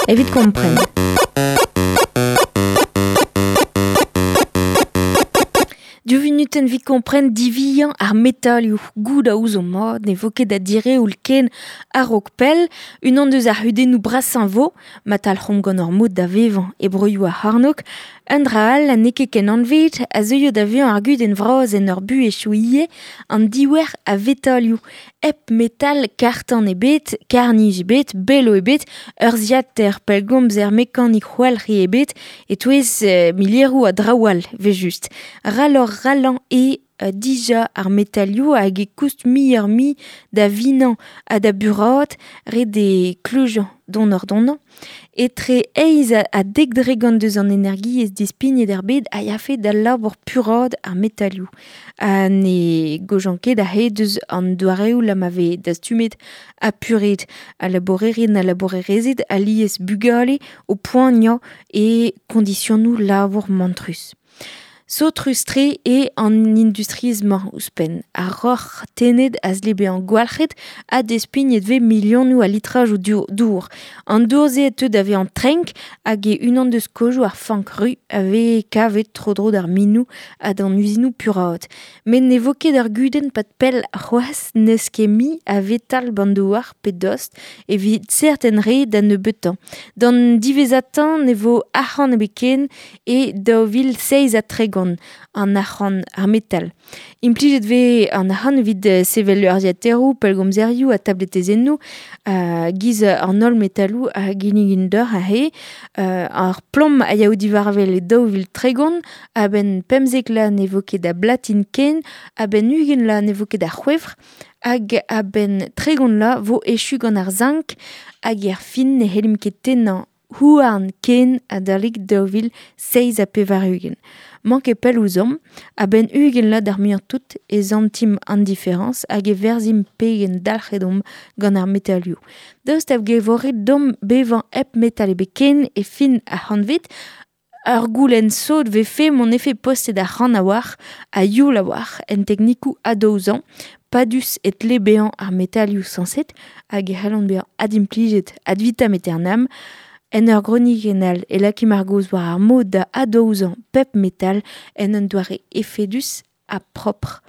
Evit kompren. Div vunutenn evit kompren diviañ ar metalioù. Goût a ouzomp mat ne vo ket da direoul ken a-raok pell. Unan deus ar c'hudennoù brasañ vo, ma talc'homp gant hor mod da vevañ e broioù ar c'hornôg. Un dra all ha n'eo ket ken anvet a zeuio da vezañ ar gudenn vras en hor buhezioù ivez, an diouer a vetalioù. Hep metal karr-tan ebet, karr-nij ebet, belo ebet, urzhiataer pellgomzer mekanik c'hoalc'hi ebet, e-touez milieroù a draoù all, evel-just. Raloc'h-ralañ eo dija ar metalioù hag e koust muioc'h-mui da vinañ ha da buraat, ret eo klujañ donoc'h-donañ. Etre eizh ha 10% deus an energiezh dispignet er bed a yafe d'al labour puraat ar metalioù. Ha ne gaojan ket aze deus an doareoù la ma vez dastumet ha puret al labourerien ha labourerezed alies bugale o poaniañ e kondisionoù labour mantrus. Saotrus-tre eo an industriezh-mañ ouzhpenn. Ar roc'h tennet a zle bezañ gwalc'het ha despignet vez milionoù a litrajoù dour. An dour-se a teu da vezañ trenk hag eo unan deus kozhoù ar fank ru a vez kavet tro-dro d'ar minoù ha d'an uzinoù puraat. Met ne vo ket ur gudenn pad pell c'hoazh n'eus ket mui a vetal b'an douar pe dost evit serten re da nebeutañ. D'an diwezhatañ ne vo arc'hant ebet ken e 2037 an arc'hant ar metal. Implijet vez an arc'hant evit sevel urzhiataeroù, pellgomzerioù ha tabletezennoù giz an holl metaloù a ginnigin deoc'h aze. Ar plom a yaou diwar-wel e 2030, a-benn 15 vloaz ne vo ket a blatin ken, a-benn 20 vloaz ne vo ket a c'hwevr, hag a-benn 30 vloaz vo echu gant ar zinc, hag er fin ne c'hellimp ket tennañ houarn ken adalek 2087. Mañ ket pell ouzhomp, a-benn 20 vloaz d'ar muiañ-tout e santimp an diferañs hag e verzhimp pegen dalc'het omp gant ar metalioù. Daoust hag e vo ret deomp bevañ hep metal ebet ken e fin ar c'hantved, ur goulenn sot vefe m'hon efe postet arc'hant a-walc'h ha youl a-walc'h en teknikoù adaozañ, padus e tle bezañ ar metalioù sañset hag e c'hellont bezañ adimplijet ad vitam aeternam. En ur gronikenn all e lakimp ar gaoz war ar mod da adaozañ pep metal en un doare efedus ha propr.